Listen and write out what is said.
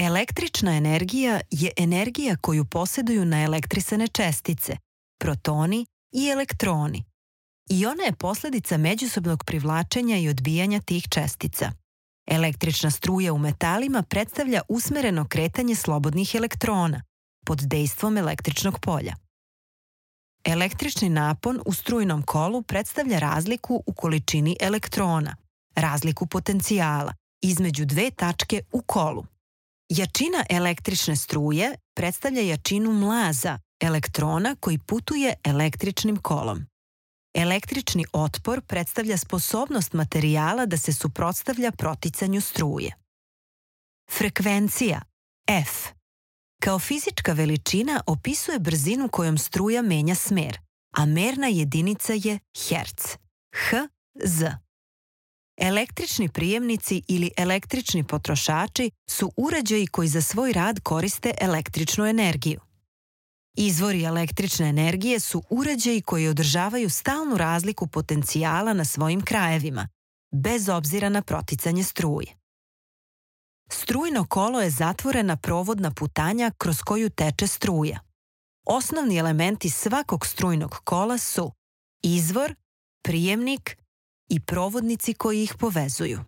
Električna energija je energija koju posjeduju naelektrisane čestice, protoni i elektroni. I ona je posljedica međusobnog privlačenja i odbijanja tih čestica. Električna struja u metalima predstavlja usmereno kretanje slobodnih elektrona pod dejstvom električnog polja. Električni napon u strujnom kolu predstavlja razliku u količini elektrona, razliku potencijala između dve tačke u kolu. Jačina električne struje predstavlja jačinu mlaza elektrona koji putuje električnim kolom. Električni otpor predstavlja sposobnost materijala da se suprotstavlja proticanju struje. Frekvencija F kao fizička veličina opisuje brzinu kojom struja menja smer, a merna jedinica je herc, Hz. Električni prijemnici ili električni potrošači su uređaji koji za svoj rad koriste električnu energiju. Izvori električne energije su uređaji koji održavaju stalnu razliku potencijala na svojim krajevima, bez obzira na proticanje struje. Strujno kolo je zatvorena provodna putanja kroz koju teče struja. Osnovni elementi svakog strujnog kola su izvor, prijemnik i provodnici koji ih povezuju.